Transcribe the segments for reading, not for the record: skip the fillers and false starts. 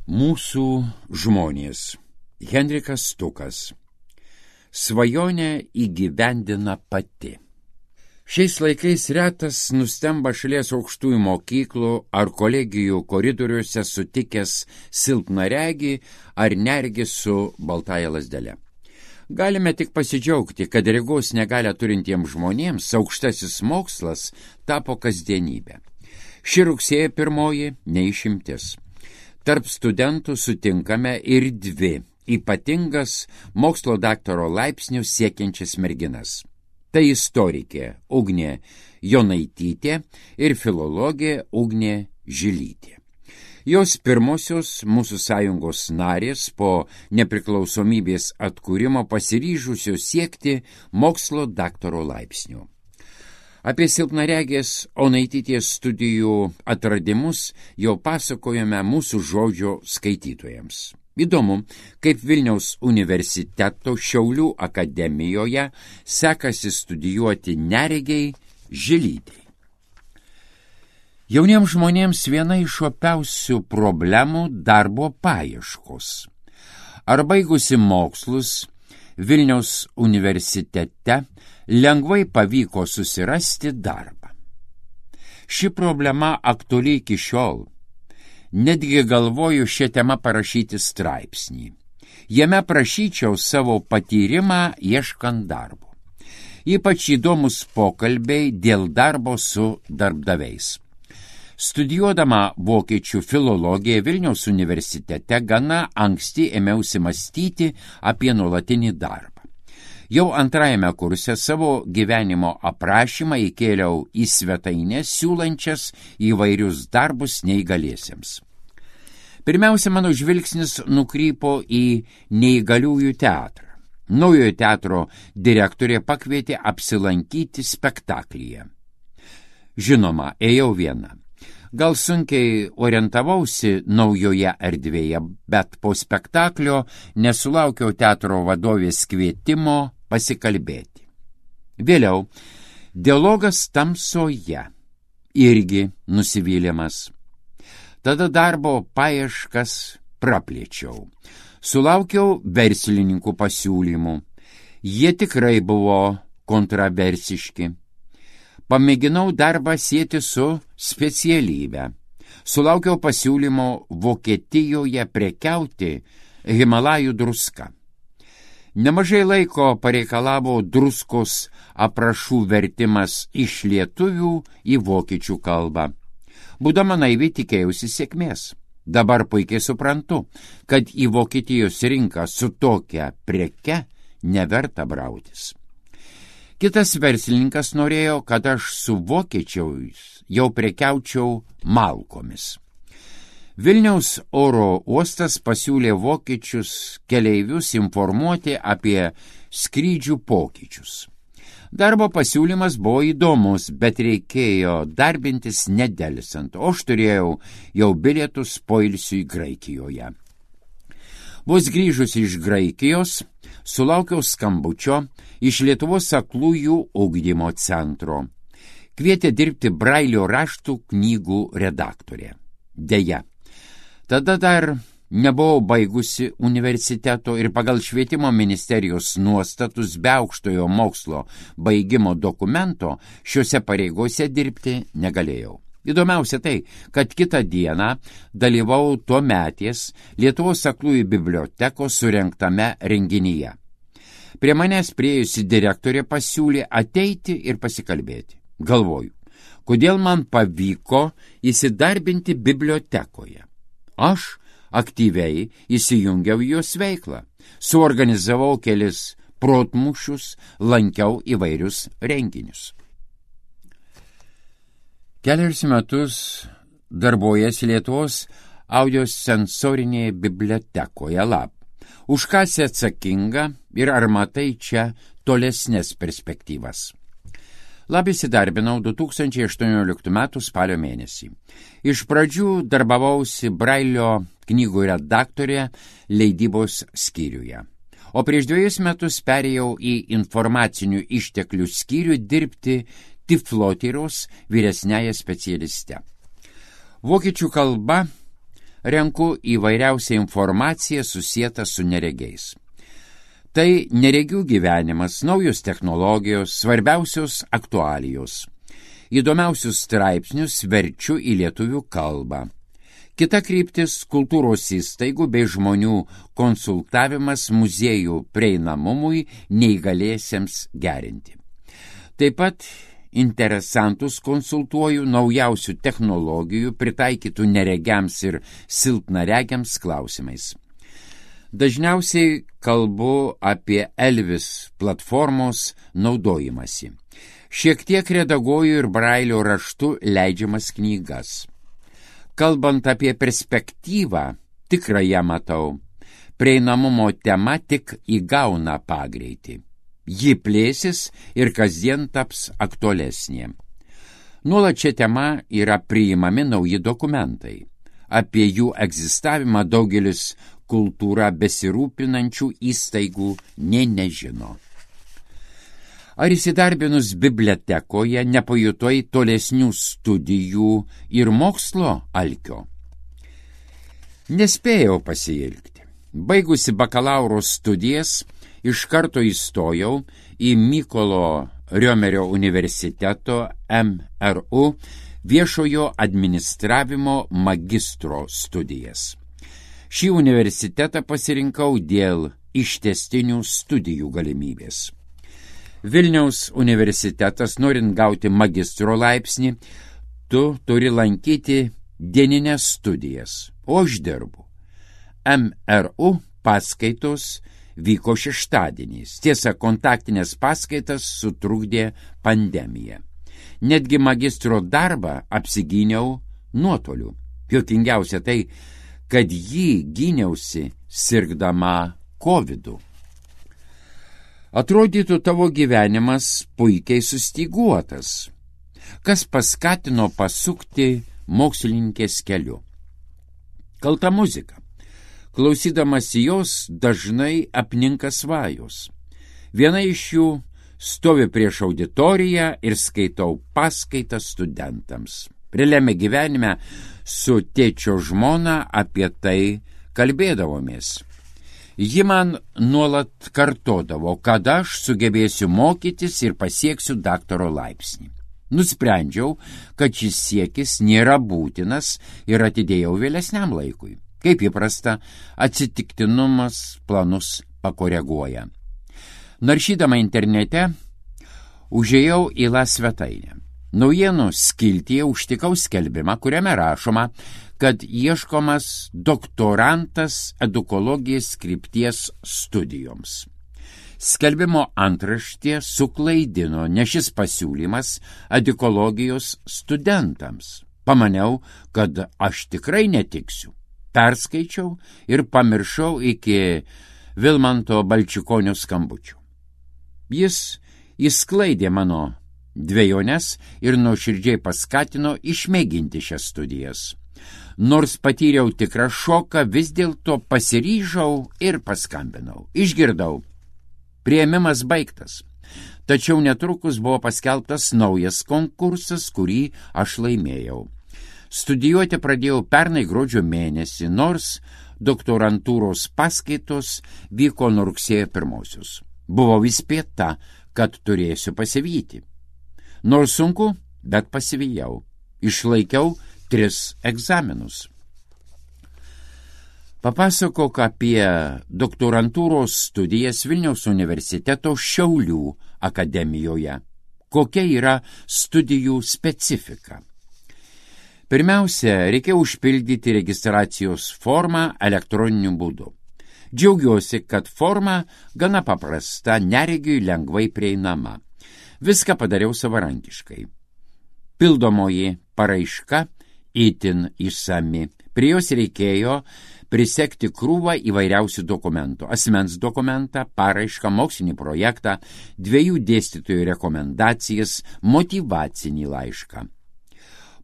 Mūsų žmonės. Henrikas Stukas. Svajonę įgyvendina pati. Šiais laikais retas nustemba šalies aukštųjų mokyklų ar kolegijų koridoriuose sutikęs silpnaregį ar neregį su baltąja lazdele. Galime tik pasidžiaugti, kad regos negalią turintiems žmonėms aukštasis mokslas tapo kasdienybė. Ši rugsėjo 1 neišimtis. Tarp studentų sutinkame ir dvi ypatingas mokslo daktaro laipsnių siekiančias merginas. Tai istorikė Ugnė Jonaitytė ir filologė Ugnė Žilytė. Jos pirmosios mūsų sąjungos narės po nepriklausomybės atkūrimo pasiryžusios siekti mokslo daktaro laipsnių. Apie silpnaregės Onaitytės studijų atradimus jau pasakojame mūsų žodžio skaitytojams. Įdomu, kaip Vilniaus universiteto Šiaulių akademijoje sekasi studijuoti neregiai Žilytei. Jauniems žmonėms viena iš opiausių problemų darbo paieškos. Ar baigusi mokslus Vilniaus universitete lengvai pavyko susirasti darbą. Ši problema aktuali iki šiol. Netgi galvoju šią temą parašyti straipsnį. Jame prašyčiau savo patyrimą ieškant darbo. Ypač įdomus pokalbiai dėl darbo su darbdaviais. Studijuodama vokiečių filologiją Vilniaus universitete gana anksti ėmiausi mąstyti apie nuolatinį darbą. Jau antrajame kurse savo gyvenimo aprašymą įkėliau į svetainę siūlančias įvairius darbus neįgaliesiems. Pirmiausia, mano žvilgsnis nukrypo į neįgaliųjų teatrą. Naujojo teatro direktorė pakvietė apsilankyti spektaklyje. Žinoma, ėjau viena. Gal sunkiai orientavausi naujoje erdvėje, bet po spektaklio nesulaukiau teatro vadovės kvietimo pasikalbėti. Vėliau, dialogas tamsoje, irgi nusivylimas. Tada darbo paieškas praplėčiau. Sulaukiau verslininkų pasiūlymų. Jie tikrai buvo kontroversiški. Pamėginau darbą sieti su specialybe. Sulaukiau pasiūlymo Vokietijoje prekiauti Himalajų druska. Nemažai laiko pareikalavo druskos aprašų vertimas iš lietuvių į vokiečių kalbą. Būdama naivi tikėjausi sėkmės. Dabar puikiai suprantu, kad į Vokietijos rinką su tokia preke neverta brautis. Kitas verslininkas norėjo, kad aš su vokiečiais jau prekiaučiau malkomis. Vilniaus oro uostas pasiūlė vokiečius keleivius informuoti apie skrydžių pokyčius. Darbo pasiūlymas buvo įdomus, bet reikėjo darbintis nedelsant, o aš turėjau jau bilietus poilsiui Graikijoje. Vos grįžus iš Graikijos, sulaukiau skambučio iš Lietuvos aklųjų ugdymo centro. Kvietė dirbti Brailio raštų knygų redaktorė. Deja, tada dar nebuvau baigusi universiteto ir pagal švietimo ministerijos nuostatus be aukštojo mokslo baigimo dokumento šiuose pareigose dirbti negalėjau. Įdomiausia tai, kad kitą dieną dalyvau tuometės Lietuvos aklųjų bibliotekos surengtame renginyje. Prie manęs priėjusi direktorė pasiūlė ateiti ir pasikalbėti. Galvoju, kodėl man pavyko įsidarbinti bibliotekoje. Aš aktyviai įsijungiau į jos veiklą, suorganizavau kelis protmūšius, lankiau įvairius renginius. Kelius metus darbojasi Lietuvos audiosensorinėje bibliotekoje LAB. Už ką esi atsakinga ir ar matai čia tolesnės perspektyvas? LAB įsidarbinau 2018 m. spalio mėnesį. Iš pradžių darbavausi Brailio knygų redaktorė leidybos skyriuje. O prieš 2 metus perėjau į informacinių išteklių skyrių dirbti Tiflotyros vyresniąją specialiste. Vokiečių kalba renku įvairiausią informaciją susietą su neregiais. Tai neregių gyvenimas, naujos technologijos, svarbiausios aktualijos. Įdomiausius straipsnius verčiu į lietuvių kalbą. Kita kryptis – kultūros įstaigų bei žmonių konsultavimas muziejų prieinamumui neįgaliesiems gerinti. Taip pat interesantus konsultuoju naujausių technologijų pritaikytų neregiams ir silpnaregiams klausimais. Dažniausiai kalbu apie Elvis platformos naudojimąsi. Šiek tiek redaguoju ir brailio raštu leidžiamas knygas. Kalbant apie perspektyvą, tikrai ją matau. Prieinamumo tema tik įgauna pagreitį. Ji plėsis ir kasdien taps aktualesnė. Nuolat šią temą yra priimami nauji dokumentai. Apie jų egzistavimą daugelis kultūra besirūpinančių įstaigų nė nežino. Ar įsidarbinus bibliotekoje nepajutai tolesnių studijų ir mokslo alkio? Nespėjau pasiilgti. Baigusi bakalauro studijas, iš karto įstojau į Mykolo Riomerio universiteto MRU viešojo administravimo magistro studijas. Šį universitetą pasirinkau dėl ištęstinių studijų galimybės. Vilniaus universitetas, norint gauti magistro laipsnį, tu turi lankyti dienines studijas, o aš dirbu. MRU paskaitos vyko šeštadieniais. Tiesa, kontaktinės paskaitas sutrukdė pandemija. Netgi magistro darbą apsigyniau nuotoliu. Juokingiausia tai, kad jį gyniausi sirgdama COVID-u. Atrodytų tavo gyvenimas puikiai sustyguotas. Kas paskatino pasukti mokslininkės keliu? Kalta muzika. Klausydamas jos dažnai apninka svajos. Viena iš jų stovi prieš auditoriją ir skaitau paskaitą studentams. Realiame gyvenime su tėčio žmona apie tai kalbėdavomės. Ji man nuolat kartodavo, kad aš sugebėsiu mokytis ir pasieksiu daktaro laipsnį. Nusprendžiau, kad šis siekis nėra būtinas ir atidėjau vėlesniam laikui. Kaip įprasta, atsitiktinumas planus pakoreguoja. Naršydama internete, užėjau į La svetainę. Naujienų skiltyje užtikau skelbimą, kuriame rašoma, kad ieškomas doktorantas edukologijos krypties studijoms. Skelbimo antraštė suklaidino, nes šis pasiūlymas edukologijos studentams. Pamaniau, kad aš tikrai netiksiu. Perskaičiau ir pamiršau iki Vilmanto Balčikonio skambučių. Jis išsklaidė mano dvejones ir nuoširdžiai paskatino išmėginti šias studijas. Nors patyriau tikrą šoką, vis dėlto pasiryžau ir paskambinau. Išgirdau. Priėmimas baigtas. Tačiau netrukus buvo paskelbtas naujas konkursas, kurį aš laimėjau. Studijuoti pradėjau pernai gruodžio mėnesį, nors doktorantūros paskaitos vyko nuo rugsėjo 1. Buvau įspėta, kad turėsiu pasivyti. Nors sunku, bet pasivijau. Išlaikiau 3 egzaminus. Papasakok apie doktorantūros studijas Vilniaus universiteto Šiaulių akademijoje. Kokia yra studijų specifika? Pirmiausia, reikia užpildyti registracijos formą elektroniniu būdu. Džiaugiuosi, kad forma gana paprasta, neregiui lengvai prieinama. Viską padariau savarankiškai. Pildomoji paraiška itin išsami. Prie jos reikėjo prisekti krūvą įvairiausių dokumentų. Asmens dokumentą, paraišką, mokslinį projektą, 2 dėstytojų rekomendacijas, motyvacinį laišką.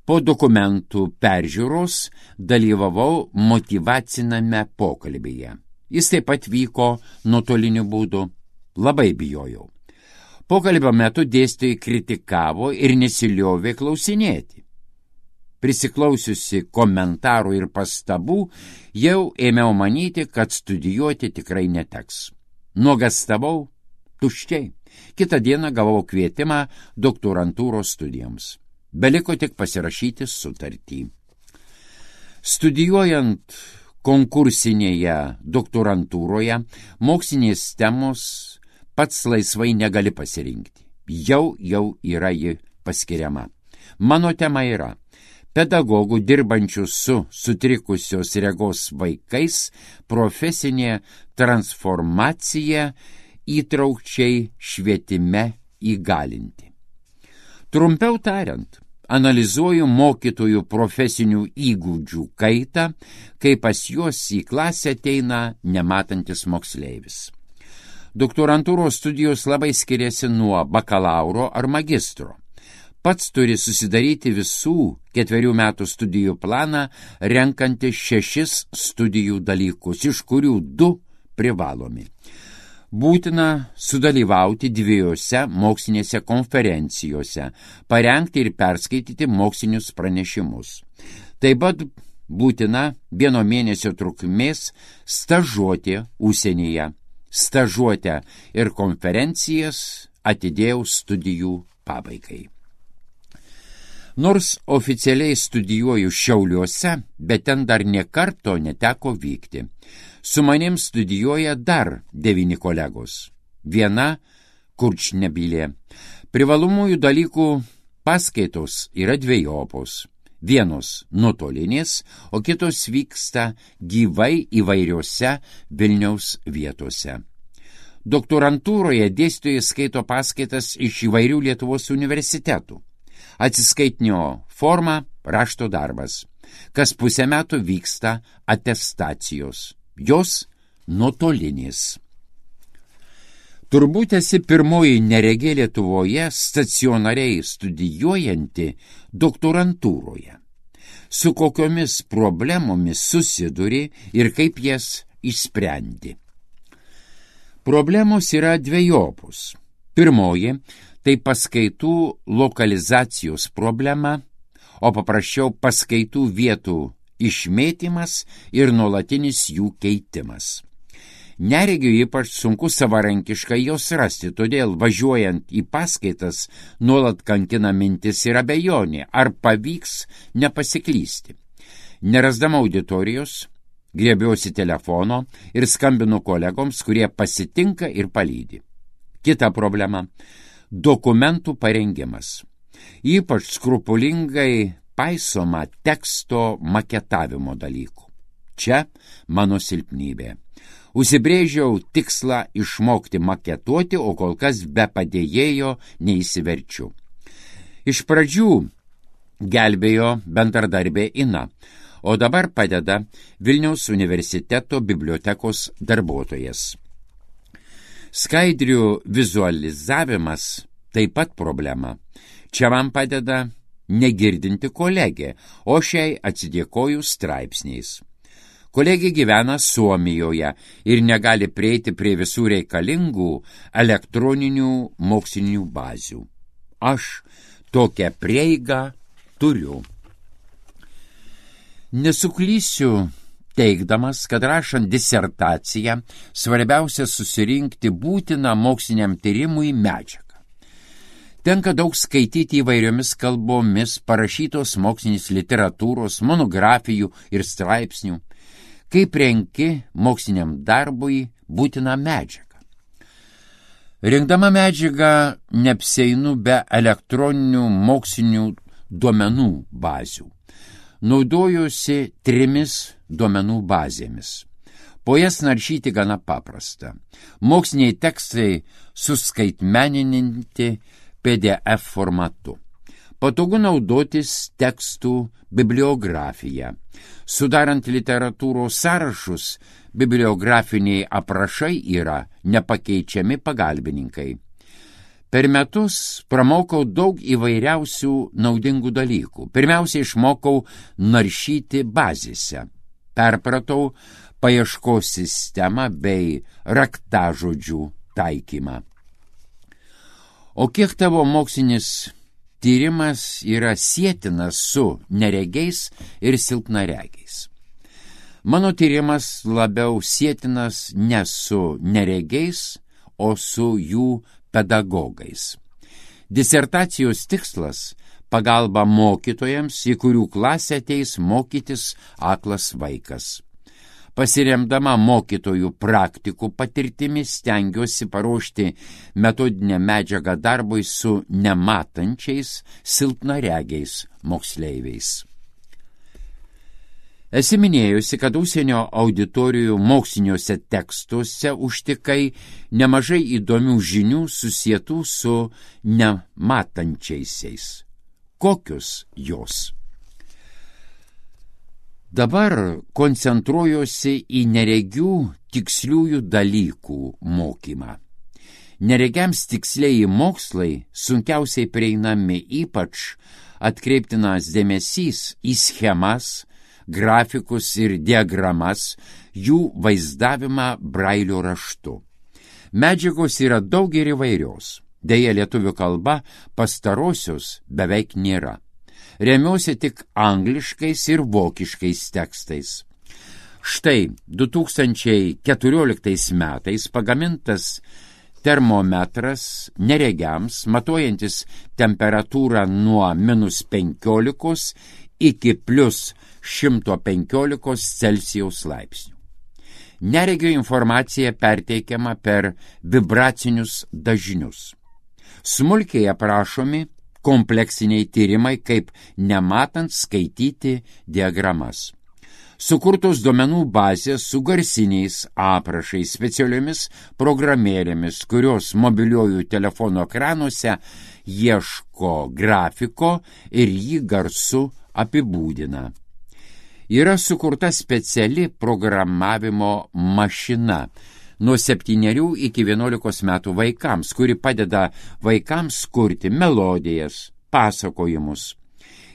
Po dokumentų peržiūros dalyvavau motyvaciname pokalbyje. Jis taip pat vyko nuotoliniu būdu. Labai bijojau. Pokalbio metu dėstytojai kritikavo ir nesiliovė klausinėti. Prisiklausiusi komentarų ir pastabų, jau ėmiau manyti, kad studijuoti tikrai neteks. Nuogastavau tuščiai. Kitą dieną gavau kvietimą doktorantūros studijoms. Beliko tik pasirašyti sutartį. Studijuojant konkursinėje doktorantūroje, mokslinės temos pats laisvai negali pasirinkti. Jau yra ji paskiriama. Mano tema yra pedagogų dirbančių su sutrikusios regos vaikais profesinė transformacija įtraukčiai švietime įgalinti. Trumpiau tariant, analizuoju mokytojų profesinių įgūdžių kaitą, kai pas juos į klasę ateina nematantis moksleivis. Doktorantūros studijos labai skiriasi nuo bakalauro ar magistro. Pats turi susidaryti visų 4 metų studijų planą, renkantis 6 studijų dalykus, iš kurių 2 privalomi. Būtina sudalyvauti 2 mokslinėse konferencijose, parengti ir perskaityti mokslinius pranešimus. Taip pat būtina 1 mėnesio trukmės stažuotė užsienyje. Stažuotę ir konferencijas atidėjau studijų pabaigai. Nors oficialiai studijuoju Šiauliuose, bet ten dar nė karto neteko vykti. Su manim studijuoja dar 9 kolegos. Viena Kurčnebylė. Privalomųjų dalykų paskaitos yra dvejopos. Vienos nuotolinės, o kitos vyksta gyvai įvairiose Vilniaus vietose. Doktorantūroje dėstytojai skaito paskaitas iš įvairių Lietuvos universitetų. Atsiskaitinio forma rašto darbas. Kas pusę metų vyksta atestacijos. Jos nuotolinės. Turbūt esi pirmoji neregė Lietuvoje stacionariai studijuojanti doktorantūroje. Su kokiomis problemomis susiduri ir kaip jas išsprendi. Problemos yra dvejopos. Pirmoji – tai paskaitų lokalizacijos problema, o paprasčiau paskaitų vietų išmėtymas ir nuolatinis jų keitimas. Neregiui ypač sunku savarankiškai jos rasti, todėl važiuojant į paskaitas nuolat kankina mintis ir abejonė, ar pavyks nepasiklysti. Nerasdama auditorijos, griebiuosi telefono ir skambinu kolegoms, kurie pasitinka ir palydi. Kita problema – dokumentų parengimas. Ypač skrupulingai paisoma teksto maketavimo dalykų. Čia mano silpnybė. Užsibrėžiau tikslą išmokti maketuoti, o kol kas be padėjėjo neįsiverčiu. Iš pradžių gelbėjo bendradarbė Ina, o dabar padeda Vilniaus universiteto bibliotekos darbuotojas. Skaidrių vizualizavimas taip pat problema. Čia man padeda negirdinti kolegė, o šiai atsidėkoju straipsniais. Kolegė gyvena Suomijoje ir negali prieiti prie visų reikalingų elektroninių mokslinių bazių. Aš tokią prieigą turiu. Nesuklysiu teigdamas, kad rašant disertaciją svarbiausia susirinkti būtiną moksliniam tyrimui medžiagą. Tenka daug skaityti įvairiomis kalbomis parašytos mokslinės literatūros, monografijų ir straipsnių. Kaip renki moksliniam darbui būtiną medžiagą. Rinkdama medžiagą neapsieinu be elektroninių mokslinių duomenų bazių. Naudojuosi 3 duomenų bazėmis. Po jas naršyti gana paprasta. Moksliniai tekstai suskaitmeninti PDF formatu. Patogu naudotis tekstų bibliografija. Sudarant literatūros sąrašus, bibliografiniai aprašai yra nepakeičiami pagalbininkai. Per metus pramokau daug įvairiausių naudingų dalykų. Pirmiausia, išmokau naršyti bazėse. Perpratau paieškos sistemą bei raktažodžių taikymą. O kiek tavo mokslinis tyrimas yra sietinas su neregiais ir silpnaregiais. Mano tyrimas labiau sietinas ne su neregiais, o su jų pedagogais. Disertacijos tikslas – pagalba mokytojams, į kurių klasę ateis mokytis aklas vaikas. Pasiremdama mokytojų praktikų patirtimi stengiuosi paruošti metodinę medžiagą darbui su nematančiais, silpnaregiais moksleiviais. Esi minėjusi, kad užsienio auditorijų moksliniuose tekstuose užtikai nemažai įdomių žinių susietų su nematančiaisiais. Kokius jos? Dabar koncentruojuosi į neregių tiksliųjų dalykų mokymą. Neregiams tikslieji mokslai sunkiausiai prieinami, ypač atkreiptinas dėmesys į schemas, grafikus ir diagramas, jų vaizdavimą brailio raštu. Medžiagos yra daug ir įvairios, deja lietuvių kalba pastarosios beveik nėra. Remiuosi tik angliškais ir vokiškais tekstais. Štai 2014 metais pagamintas termometras neregiams, matuojantis temperatūrą nuo -15 iki +115 Celsijaus laipsnių. Neregio informacija perteikiama per vibracinius dažnius. Smulkiai aprašomi kompleksiniai tyrimai, kaip nematant skaityti diagramas. Sukurtos duomenų bazės su garsiniais aprašais, specialiomis programėlėmis, kurios mobiliojų telefono ekranuose ieško grafiko ir jį garsu apibūdina. Yra sukurta speciali programavimo mašina nuo 7 iki 11 metų vaikams, kuri padeda vaikams kurti melodijas, pasakojimus.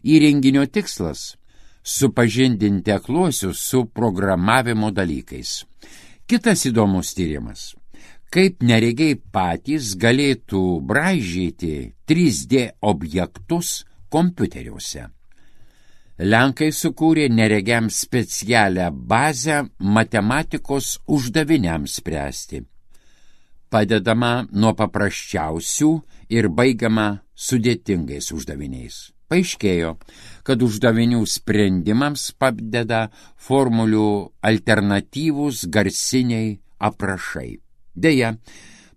Įrenginio tikslas – supažindinti akluosius su programavimo dalykais. Kitas įdomus tyrimas – kaip neregiai patys galėtų braižyti 3D objektus kompiuteriuose. Lenkai sukūrė neregiams specialią bazę matematikos uždaviniams spręsti. Padedama nuo paprasčiausių ir baigiama sudėtingais uždaviniais. Paaiškėjo, kad uždavinių sprendimams padeda formulių alternatyvūs garsiniai aprašai. Deja,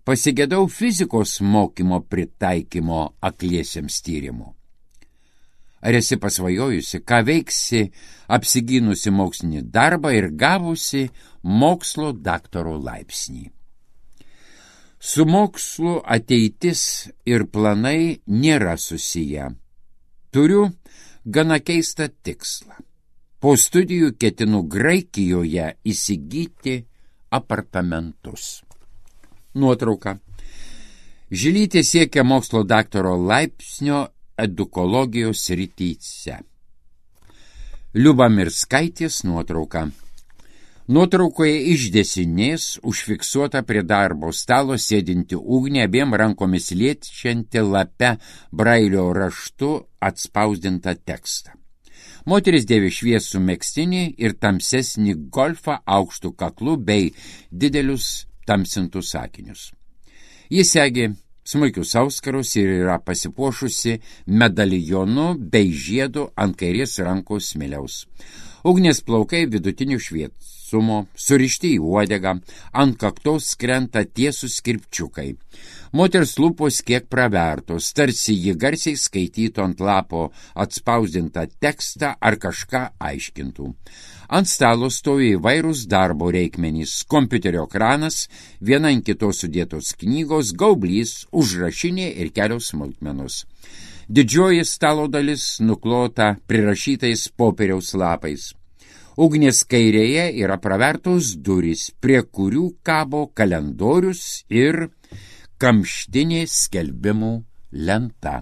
pasigedau fizikos mokymo pritaikymo akliesiems tyrimų. Ar esi pasvajojusi, ką veiksi apsigynusi mokslinį darbą ir gavusi mokslo daktaro laipsnį? Su mokslu ateitis ir planai nėra susiję. Turiu gana keistą tikslą. Po studijų ketinu Graikijoje įsigyti apartamentus. Nuotrauka. Žilytė siekia mokslo daktaro laipsnio edukologijos srityse. Liuba Mirskaitės nuotrauka. Nuotraukoje iš dešinės užfiksuota prie darbo stalo sėdinti ugnį, abiem rankomis liečianti lape brailio raštu atspausdintą tekstą. Moteris dėvi šviesų megztinį ir tamsesnį golfą aukštų kaklų bei didelius tamsintus akinius. Jis segi smulkius auskarus ir yra pasipuošusi medalijonu bei žiedu ant kairės rankos smiliaus. Ugnės plaukai vidutinių šviesumo, surišti į uodegą, ant kaktos krenta tiesūs kirpčiukai. Moters lūpos kiek pravertos, tarsi ji garsiai skaitytų ant lapo atspausdintą tekstą ar kažką aiškintų. Ant stalo stovi įvairūs darbo reikmenys, kompiuterio ekranas, viena ant kitos sudėtos knygos, gaublys, užrašinė ir kelios smulkmenos. Didžioji stalo dalis nuklota prirašytais popieriaus lapais. Ugnės kairėje yra pravertos durys, prie kurių kabo kalendorius ir kamštinė skelbimų lenta.